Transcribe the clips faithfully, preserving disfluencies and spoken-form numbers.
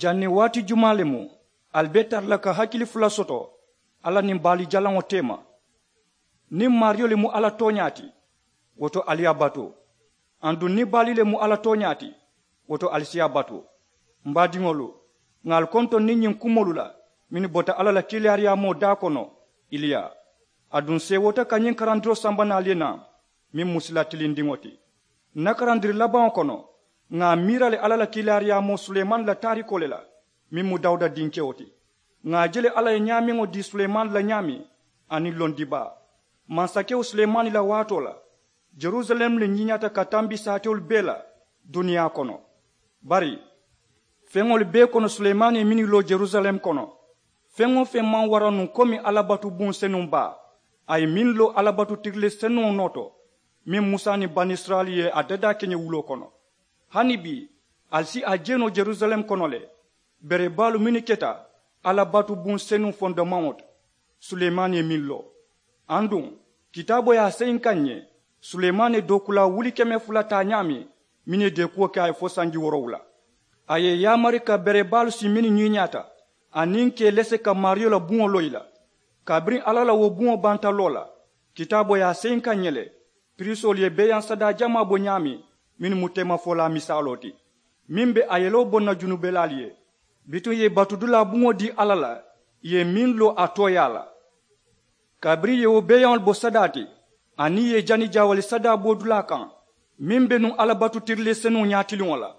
Janniŋ waati jumaa le mu ali be tara la ka hakili fula soto alla niŋ baali jalaŋo teema? Niŋ maariyo le mu alla tooñaa ti, wo to ali ye a batu. Aduŋ niŋ baali le mu alla tooñaa ti, wo to ali si a batu. M baadiŋolu, ŋà ali kontoŋ niŋ ñiŋ kumoolu la mennu bota alla la kiilaariyaamoo daa kono, iliya. Aduŋ seewoota ka ñiŋ karandiroo samba naŋ ali ye naa, meŋ mu sila tilindiŋo ti. N na karandiri labaŋo kono, ŋà a miira le alla la kiilaariyaamoo sulemani la taarikoo le la, meŋ mu dawuda dinkewo ti. Ŋà a je le alla ye ñaameŋo dii sulemani la ñaameŋ, aniŋ londibaa. Mansakewo sulemani la waatoo la, jerusalem le ñiiñaata ka tambi saatewolu bee la duniyaa kono. Bari feŋolu bee kono sulemani ye mennu loo jerusalem kono, feŋ-wo-feŋ maŋ wara nuŋ komi alla batu buŋ senuŋ baa. A ye meŋ loo alla batu tirile senuŋo noo to, meŋ musa niŋ banisirayila ye a dadaa keñewuloo kono. Hani bii ali si a je noo jerusalem kono le, berebaalu mennu keta alla batu buŋ senuŋ fondomaŋo to, sulemani ye meŋ loo. Aduŋ kitaaboo ye a seyi n kaŋ ǹ ye, sulemani ye dookulaa wuli keme fula taa ñaameŋ, mennu ye deekuwo ke a ye fo sanji woorowula. A ye i yaamari ka berebaalu sii mennu ñiiñaata, aniŋ ka i lese ka maariyo la buŋo loŋ i la. Kabiriŋ alla la wo buŋo banta loo la, kitaaboo ye a seyi n kaŋ ǹ ye le, piriisoolu ye beeyaŋ sadaa jamaa bo ñaameŋ, mennu mu teemafolaa misaaloo ti, meŋ be a yeloo boŋ na junubelaalu ye. Bituŋ ì ye i batudulaa buŋo dii alla la, ì ye meŋ loo a tooyaa la. Kabiriŋ ì ye wo beeyaŋolu bo sadaa ti, aniŋ ì ye i jani jaawali sadaa bo dulaa kaŋ, meŋ be nuŋ alla batu tirile senuŋo ñaatiliŋo la,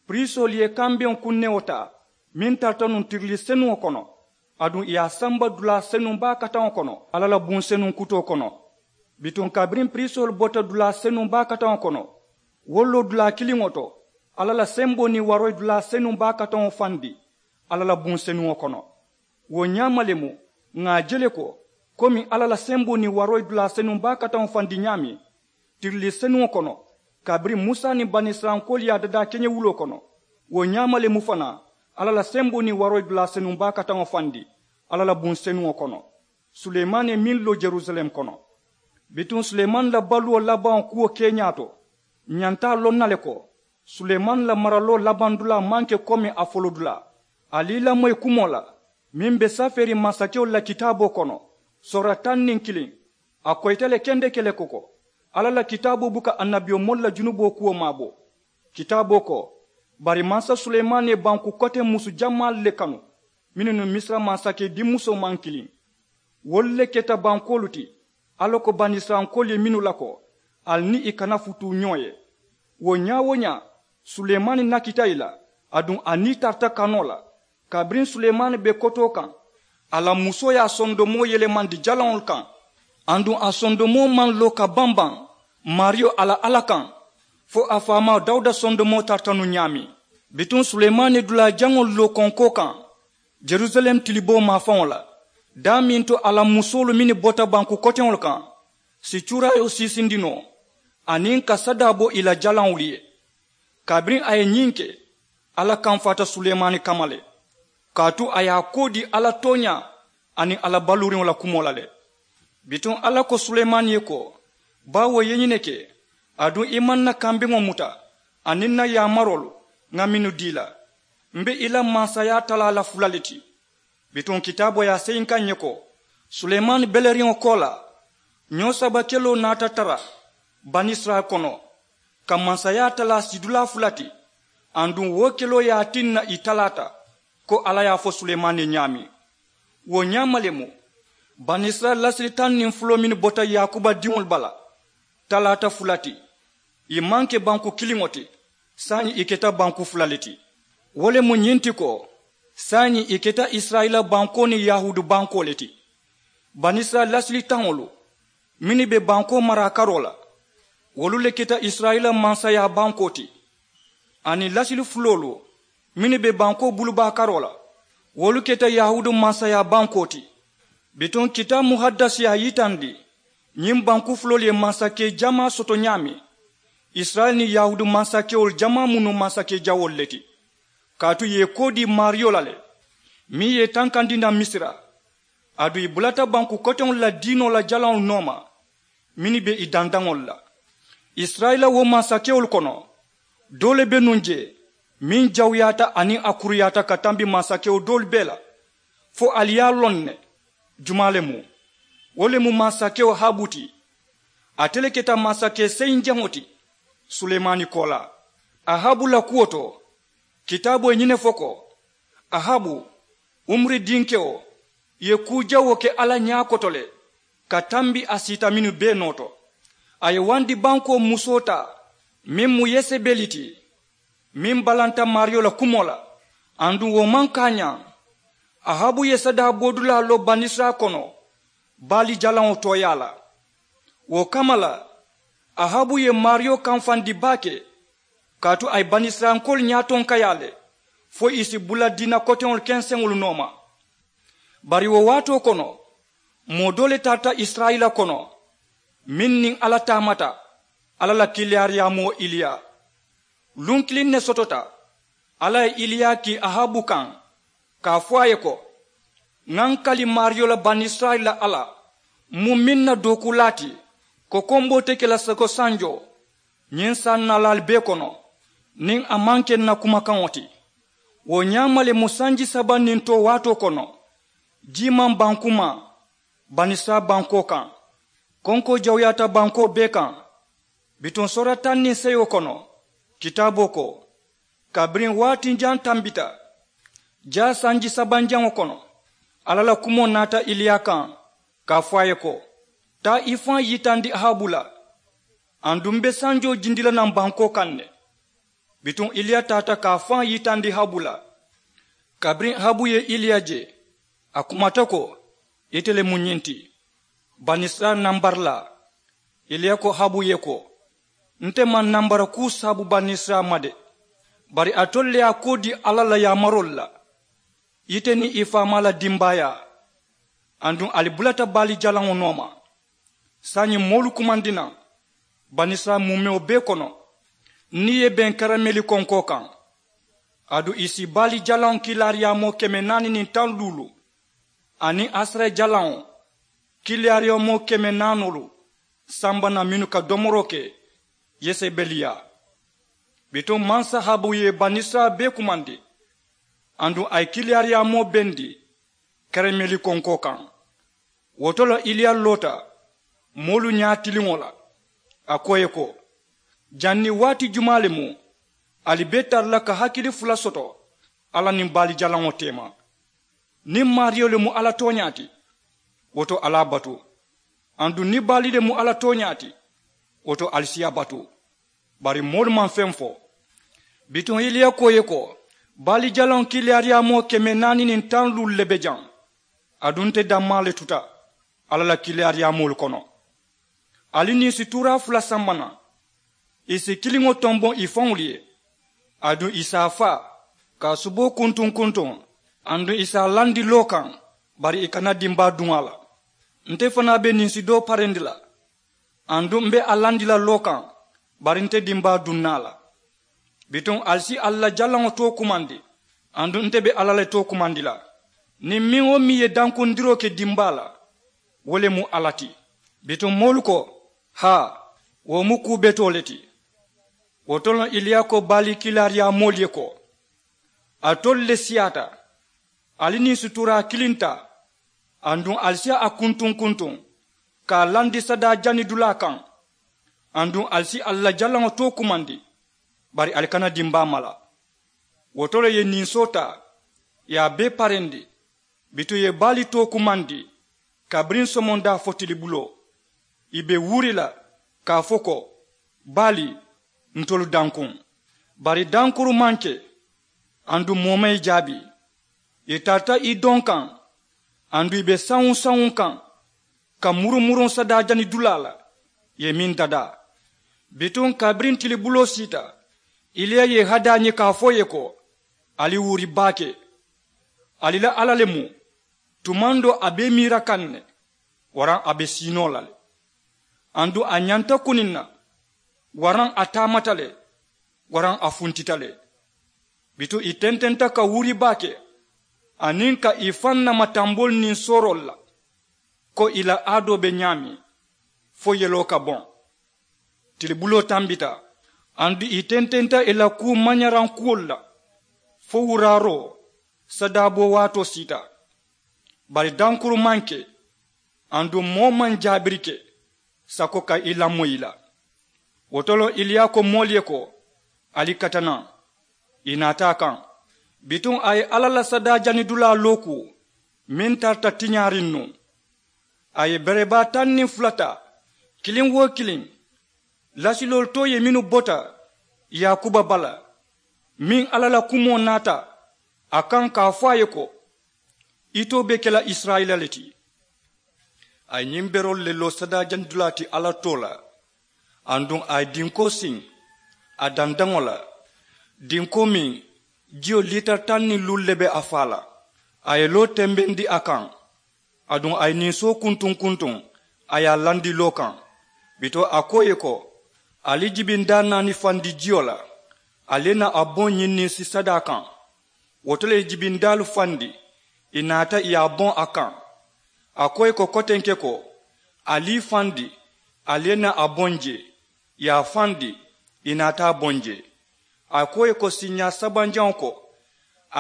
piriisoolu ye kambeŋo kunnewo taa, meŋ tarata nuŋ tirile senuŋo kono, aduŋ ì ye a samba dulaa senuŋ baa kataŋo kono alla la buŋ senuŋ kutoo kono. Bituŋ kabiriŋ piriisoolu bota dulaa senuŋ baa kataŋo kono, wolu loo dulaa kiliŋo to, alla la semboo niŋ waroo ye dulaa senuŋ baa kataŋo fandi alla la buŋ senuŋo kono. Wo ñaama le mu ŋà a je le ko, komi alla la semboo niŋ waroo ye dulaa senuŋ baa kataŋo fandi ñaameŋ, tirilii senuŋo kono, kabiriŋ musa niŋ banisirayilankoolu ye a dadaa keñewuloo kono, wo ñaama le mu fanaa alla la semboo niŋ waroo ye dulaa senuŋ baa kataŋo fandi alla la buŋ senuŋo kono, sulemani ye meŋ loo jerusalem kono. Bituŋ sulemani la baluwo labaŋo kuwo keeñaa to, ǹ ñanta a loŋ na le ko, sulemani la maraloo labaŋ dulaa maŋ ke komi a folo dulaa. Ali i lamoyi kumoo la, meŋ be safeeriŋ mansakewolu la kitaaboo kono, soora taŋ niŋ kiliŋ. A koyita le kendeke le ko, ko alla la kitaaboo buka annabiyomoolu la junuboo kuwo maabo. Kitaaboo ko, bari mansa sulemani ye banku koteŋ musu jamaalu le kanu, mennu niŋ misira mansakee dimmusoo maŋ kiliŋ. Wolu le keta bankoolu ti, alla ko banisirayilankoolu ye mennu la ko, ali niŋ ì kana futuu ñoo ye. Wo ñaa-wo-ñaa, sulemani nakita ì la, aduŋ a nii tarata kanoo la. Kabiriŋ sulemani be kotoo kaŋ, a la musoo ye a sondomoo yelemandi jalaŋolu kaŋ. Aduŋ a sondomoo maŋ loo ka baŋ baŋ maariyo a la alla kaŋ, fo a faamaa dawuda sondomoo tarata nuŋ ñaameŋ. Bituŋ sulemani ye dulaa jaŋolu loo konkoo kaŋ, jerusalem tiliboo maafaŋo la, daameŋ to a la musoolu mennu bota banku koteŋolu kaŋ si cuuraayoo siisindi noo, aniŋ ka sadaa bo ì la jalaŋolu ye. Kabiriŋ a ye ñiŋ ke, alla kamfaata sulemani kamma le, kaatu a ye a koo dii alla tooñaa aniŋ alla baluuriŋo la kumoo la le. Bituŋ alla ko sulemani ye ko, baawo i ye ñiŋ ne ke, aduŋ i maŋ ǹ na kambeŋo muta aniŋ ǹ na yaamaroolu ŋa mennu dii i la, m be i la mansayaa talaa la fula le ti. Bituŋ kitaaboo ye a seyi n kaŋ ǹ ye ko, sulemani beleriŋo koolaa, ñoo saba keloo naata tara banisirayila kono, ka mansayaa talaa sidulaa fula ti. Aduŋ wo keloo ye a tinna ì talaata, ko alla ye a fo sulemani ye ñaameŋ. Wo ñaama le mu banisirayila lasili taŋ niŋ fuloo mennu bota yaakuba diŋolu bala, talaata fula ti. Ì maŋ ke banku kiliŋo ti, saayiŋ ì keta banku fula le ti. Wo le mu ñiŋ ti ko, saayiŋ ì keta isirayila bankoo niŋ yahuudu bankoo le ti. Banisirayila lasili taŋolu mennu be bankoo maraa karoo la, wolu le keta isirayila mansayaa bankoo ti. Aniŋ lasili fuloolu mennu be bankoo bulubaa karoo la, wolu keta yahuudu mansayaa bankoo ti. Bituŋ kitaabu muhadasi ye a yitandi, ñiŋ banku fuloolu ye mansakee jamaa soto ñaameŋ, isirayila niŋ yahuudu mansakewolu jamaa mu nuŋ mansakee jawoolu le ti. Kaatu ì ye i koo dii maariyo la le, meŋ ye i tankandi naŋ misira, aduŋ ì bulata banku koteŋolu la diinoo la jalaŋolu nooma, mennu be ì dandaŋolu la. Isirayila wo mansakewolu kono, doo le be nuŋ jee, meŋ jawuyaata aniŋ a kuruyaata ka tambi mansakewo doolu bee la, fo ali ye a loŋ ne? Jumaa le mu? Wo le mu mansakewo ahabu ti. Ate le keta mansake seyiŋ jaŋo ti sulemani koolaa. Ahabu la kuwo to, kitaaboo ye ñiŋ ne fo ko, ahabu, umuri dinkewo, ye kuu jawoo ke alla ñaa koto le, ka tambi a siita mennu bee noo to. A ye wandi bankoo musoo taa, meŋ mu yesebeli ti, meŋ balanta maariyo la kumoo la. Aduŋ wo maŋ kaañaa, ahabu ye sadaa boodulaa loo banisirayila kono baali jalaŋo tooyaa la. Wo kamma la, ahabu ye maariyo kamfandi baake, kaatu a ye banisirayilankoolu ñaatonkayaa le, fo ì si bula diina koteŋolu kenseŋolu nooma. Bari wo waatoo kono, moo doo le tarata isirayila kono, meŋ niŋ alla taamata, alla la kiilaariyaamoo iliya. Luŋ kiliŋ ne sotota, alla ye iliya kii ahabu kaŋ, ka a fo a ye ko, ŋa ǹ kali maariyo la banisirayila alla, muŋ meŋ na dookuulaa ti, kokomboo te ke la soko sanjoo, ñiŋ sannaalaalu bee kono, niŋ a maŋ ke ǹ na kumakaŋo ti. Wo ñaama le mu sanji saba niŋ too waatoo kono, jii maŋ baŋ kumaa banisirayila bankoo kaŋ. Konkoo jawuyaata bankoo bee kaŋ. Bituŋ soora taŋ niŋ seyoo kono, kitaaboo ko, kabiriŋ waati jaŋ tambita, jaa sanji sabanjaŋo kono, alla la kumoo naata iliya kaŋ, ka a fo a ye ko, taa i faŋ yitandi ahabu la, aduŋ m be sanjoo jindi la naŋ bankoo kaŋ ne. Bituŋ iliya taata ka a faŋ yitandi ahabu la. Kabiriŋ ahabu ye iliya je, a kumata ko, ite le mu ñiŋ ti, banisirayila nambarilaa. Iliya ko ahabu ye ko, nte maŋ nambara kuu saabu banisirayila ma de, bari alitolu le ye a koo dii alla la yaamaroolu la, ite niŋ i faamaa la dimbaayaa, aduŋ ali bulata baali jalaŋo nooma. Saayiŋ moolu kumandi naŋ banisirayila muumewo bee kono, niŋ i ye beŋ karameli konkoo kaŋ, aduŋ ì si baali jalaŋo kiilaariyaamoo keme naani niŋ taŋ luulu, aniŋ asara jalaŋo kiilaariyaamoo keme naanoolu samba naŋ mennu ka domoroo ke yesebeli yaa. Bituŋ mansa ahabu ye banisirayila bee kumandi, aduŋ a ye kiilaariyaamoo bendi karameli konkoo kaŋ. Wo to le iliya loota moolu ñaatiliŋo la, a ko ì ye ko, janniŋ waati jumaa le mu ali be tara la ka hakili fula soto alla niŋ baali jalaŋo teema? Niŋ maariyo le mu alla tooñaa ti, wo to ali a batu. Aduŋ niŋ baali le mu alla tooñaa ti, wo to ali si a batu. Bari moolu maŋ feŋ fo. Bituŋ iliya ko ì ye ko, baali jalaŋo kiilaariyaamoo keme naani niŋ taŋ luulu le be jaŋ, aduŋ nte dammaa le tuta alla la kiilaariyaamoolu kono. Ali niŋ ì si tuuraa fula samba naŋ, ì si kiliŋo tomboŋ ì faŋolu ye, aduŋ ì si a faa, ka a suboo kuntuŋ kuntuŋ, aduŋ ì si a landi loo kaŋ, bari ì kana dimbaa duŋ a la. Nte fanaa be ninsi doo parendi la, aduŋ m be a landi la loo kaŋ, bari nte dimbaa duŋ na a la. Bituŋ ali si alla jalaŋo too kumandi, aduŋ nte be alla le too kumandi la. Niŋ meŋ-wo-meŋ ye dankundiroo ke dimbaa la, wo le mu alla ti. Bituŋ moolu ko, haa, wo mu kuu betoo le ti. Wo to le iliya ko baali kiilaariyaamoolu ye ko, alitolu le siyaata, ali niŋ suturaa kiliŋ taa, aduŋ ali si a kuntuŋ kuntuŋ, ka a landi sadaa janidulaa kaŋ, aduŋ ali si alla jalaŋo too kumandi, bari ali kana dimbaa mala. Wo to le ì ye ninsoo taa, ì ye a bee parendi. Bituŋ ì ye baali too kumandi, kabiriŋ somondaa fo tilibuloo. Ì be wuuri la, ka a fo ko, baali, ntolu dankuŋ. Bari dankuru maŋ ke, aduŋ moo maŋ ì jaabi. Ì tarata ì doŋ kaŋ, aduŋ ì be sawuŋ sawuŋ kaŋ, ka murumuruŋ sadaajani dulaa la, ì ye meŋ dadaa. Bituŋ kabiriŋ tilibuloo siita, iliya ye i hadaa ñiŋ ka a fo ì ye ko, ali wuuri baake. Ali la alla le mu, tumandoo a be i miira kaŋ ne, waraŋ a be siinoo la le. Aduŋ a ñanta kuniŋ na, waraŋ a taamata le, waraŋ a funtita le. Bituŋ ì tententa ka wuuri baake, aniŋ ka ì faŋ nama tamboolu niŋ sooroolu la, ko ì la aadoo be ñaameŋ, fo yeloo ka boŋ. Tilibuloo tambita, aduŋ ì tententa ì la kuu mañarankuwolu la, fo wuraaroo sadaaboo waatoo siita. Bari dankuru maŋ ke, aduŋ moo maŋ jaabiri ke sako ka i lamoyi i la. Wo to le iliya ko moolu ye ko, ali katana. I naata a kaŋ. Bituŋ a ye alla la sadaa janidulaa looku meŋ tarata tiñaariŋ nuŋ. A ye berebaa taŋ niŋ fula taa, kiliŋ wo kiliŋ lasiloolu to ye mennu bota yaakuba bala, meŋ alla la kumoo naata a kaŋ ka a fo a ye ko, itoo be ke la isirayila le ti. A ye ñiŋ beroolu le loo sadaa janidulaa ti alla too la. Aduŋ a ye dinkoo siŋ a dandaŋo la, dinkoo meŋ jiyo liitari taŋ niŋ luulu le be a faa la. A ye loo tembendi a kaŋ. Aduŋ a ye ninsoo kuntuŋ kuntuŋ a ye a landi loo kaŋ. Bituŋ a ko ì ye ko, ali jibindaa naani fandi jiyo la, ali ye naa a boŋ ñiŋ ninsi sadaa kaŋ. Wo to le ye jibindaalu fandi, ì naata ì ye a boŋ a kaŋ. A ko ì ye ko kotenke ko, ali i fandi, ali ye naa a boŋ jee. Ì ye a fandi, ì naata a boŋ jee. A ko ì ye ko siiñaa sabanjaŋo ko,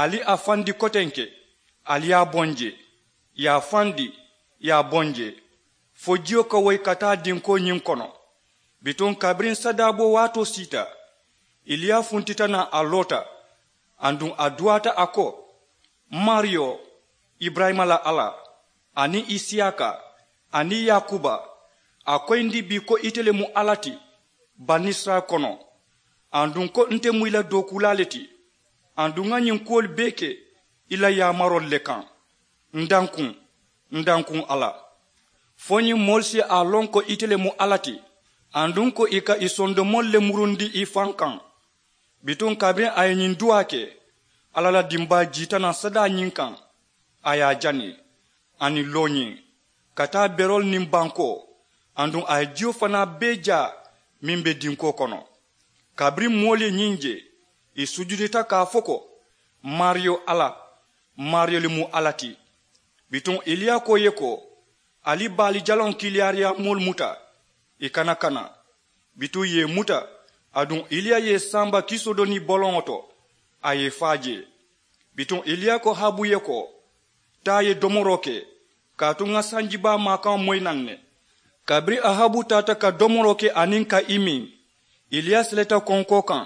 ali a fandi kotenke, ali ye a boŋ jee. Ì ye a fandi, ì ye a boŋ jee, fo jiyo ka woyi ka taa dinkoo ñiŋ kono. Bituŋ kabiriŋ sadaaboo waatoo siita, iliya funtita naŋ a loota. Aduŋ a duwaata a ko, maariyo, iburayima la alla, aniŋ isiyaaka, aniŋ yaakuba, a koyindi bii ko ite le mu alla ti banisirayila kono, aduŋ ko nte mu i la dookuulaa le ti. Aduŋ ŋa ñiŋ kuwolu bee ke i la yaamaroolu le kaŋ. N dankuŋ, n dankuŋ alla. Fo ñiŋ moolu si a loŋ ko ite le mu alla ti, aduŋ ko ì ka ì sondomoolu le murundi ì faŋ kaŋ. Bituŋ kabiriŋ a ye ñiŋ duwaa ke, alla la dimbaa jiita naŋ sadaa ñiŋ kaŋ. A ye a jani aniŋ looñiŋ, ka taa beroolu niŋ bankoo, aduŋ a ye jiyo fanaa bee jaa meŋ be dinkoo kono. Kabiriŋ moolu ye ñiŋ je, ì sujudita ka a fo ko, maariyo alla, maariyo le mu alla ti. Bituŋ iliya ko ì ye ko, ali baali jaloŋ kiiliyaariyaamoolu muta, ì kana kana. Bituŋ ì ye ì muta, aduŋ iliya ye ì sanba kisoo do niŋ boloŋo to, a ye ì faa jee. Bituŋ iliya ko ahabu ye ko, taa ì ye domoroo ke, kaatu ŋa sanjibaa maakaŋo moyi naŋ ne. Kabiriŋ ahabu taata ka domoroo ke aniŋ ka i miŋ, iliya seleta konkoo kaŋ,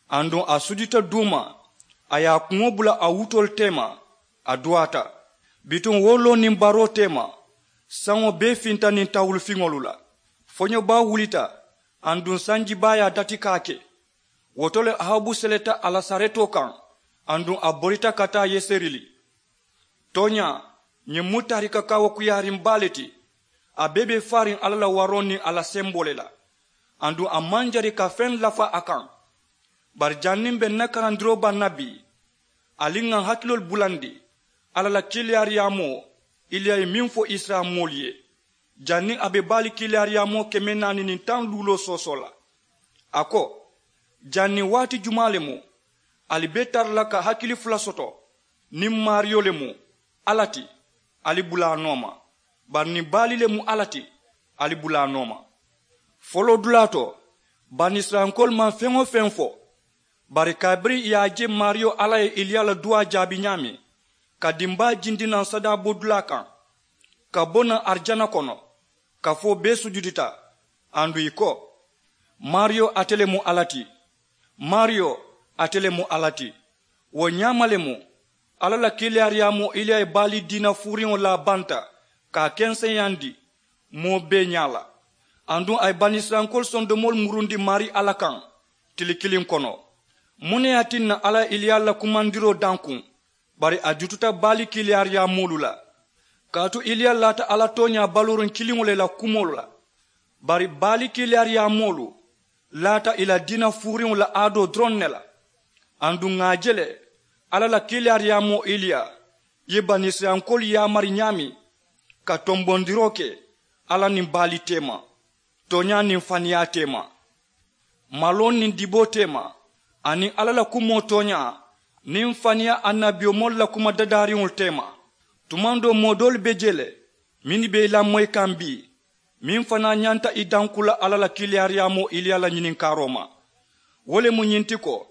aduŋ a sujudita duuma, a ye a kuŋo bula a wutoolu teema, a duwaata. Bituŋ wo loo niŋ baroo teema, saŋo bee finta niŋ tawulufiŋolu la. Foño baa wulita, aduŋ sanji baa ye a dati ka a ke. Wo to le ahabu seleta a la saretoo kaŋ, aduŋ a borita ka taa yeseri. Tooñaa, ñiŋ mu taarika kaawakuyaariŋ baa le ti. A bee be faariŋ alla la waroo niŋ a la semboo le la. Aduŋ a maŋ jari ka feŋ lafa a kaŋ. Bari janniŋ be n na karandiroo baŋ na bii, ali ŋà n hakiloolu bulandi alla la kiiliyaariyaamoo iliya ye meŋ fo isirayila moolu ye, janniŋ a be baali kiiliyaariyaamoo keme naani niŋ taŋ luuloo soosoo la. A ko, janniŋ waati jumaa le mu ali be tara la ka hakili fula soto? Niŋ maariyo le mu alla ti, ali bula a nooma. Bari niŋ baali le mu alla ti, ali bula a nooma. Foloodulaa to, banisirayilankoolu maŋ feŋ-wo-feŋ fo. Bari kabiriŋ ì ye a je maariyo alla ye iliya la duwaa jaabi ñaameŋ, ka dimbaa jindi naŋ sadaabodulaa kaŋ, ka bo naŋ arijana kono, kafoo bee sujudita, aduŋ ì ko, maariyo, ate le mu alla ti. Maariyo, ate le mu alla ti. Wo ñaama le mu alla la kiiliyaariyaamoo iliya ye baali diina fuuriŋo laa banta, ka a kenseyaandi moo bee ñaa la. Aduŋ a ye banisirayilankoolu sondomoolu murundi maarii alla kaŋ tili kiliŋ kono. Muŋ ne ye a tinna alla ye iliya la kumandiroo dankuŋ? Bari a jututa baali kiiliyaariyaamoolu la. Kaatu iliya laata alla tooñaa baluuriŋ kiliŋo le la kumoolu la. Bari baali kiiliyaariyaamoolu laata ì la diina fuuriŋo la aadoo doroŋ ne la. Aduŋ ŋà a je le, alla la kiiliyaariyaamoo iliya ye banisirayilankoolu yaamari ñaameŋ, ka tombondiroo ke alla niŋ baali teema, tooñaa niŋ faniyaa teema, maloo niŋ diboo teema, aniŋ alla la kumoo tooñaa niŋ faniyaa annabiyomoolu la kuma dadaariŋolu teema. Tumaŋ doo moo doolu be jee le mennu be i lamoyi kaŋ bii, meŋ fanaa ñanta i danku la alla la kiiliyaariyaamoo iliya la ñininkaaroo ma. Wo le mu ñiŋ ti ko,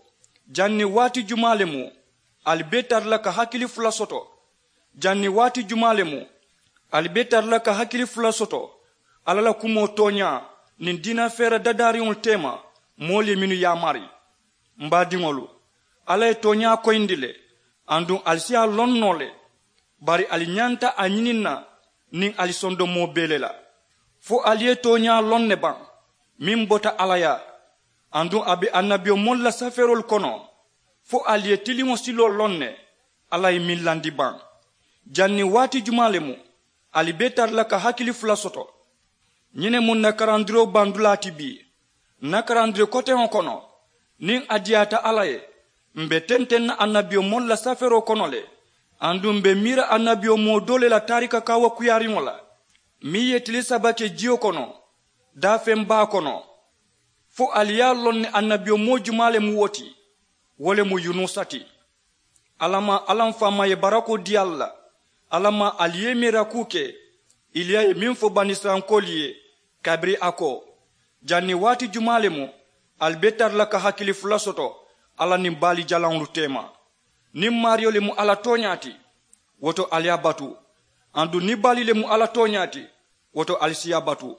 janniŋ waati jumaa le mu Ali be tara la ka hakili fula soto. Janniŋ waati jumaa le mu ali be tara la ka hakili fula soto alla la kumoo tooñaa niŋ diina feera dadaariŋolu teema? Moolu ye mennu yaamari, m baadiŋolu, alla ye tooñaa koyindi le, aduŋ ali si a loŋ noo le. Bari ali ñanta a ñiniŋ na niŋ ali sondomoo bee le la. Fo ali ye tooñaa loŋ ne baŋ meŋ bota alla yaa? Aduŋ a be annabiyomoolu la safeeroolu kono fo ali ye tiliŋo siloo loŋ ne? Alla ye meŋ landi baŋ? Janniŋ waati jumaa le mu ali be tara la ka hakili fula soto? Ñiŋ ne mu n na karandiroo bandulaa ti bii. N na karandiri koteŋo kono, niŋ a diyaata alla ye, m̀ be tenteŋ na annabiyomoolu la safeeroo kono le. Aduŋ m̀ be miira annabiyomoo doo le la taarika kaawakuyaariŋo la meŋ ye tili saba ke jiyo kono, daafeŋ baa kono. Fo ali ye a loŋ ne annabiyomoo jumaa le mu wo ti? Wo le mu yunusa ti. Alla maŋ alla m faamaa ye barakoo dii ali la. Alla maŋ ali ye miirakuu ke iliya ye meŋ fo banisirayilankoolu ye, kabiriŋ a ko, janniŋ waati jumaa le mu ali be tara la ka hakili fula soto alla niŋ baali jalaŋolu teema? Niŋ maariyo le mu alla tooñaa ti, wo to ali ye a batu. Aduŋ niŋ baali le mu alla tooñaa ti, wo to ali si a batu.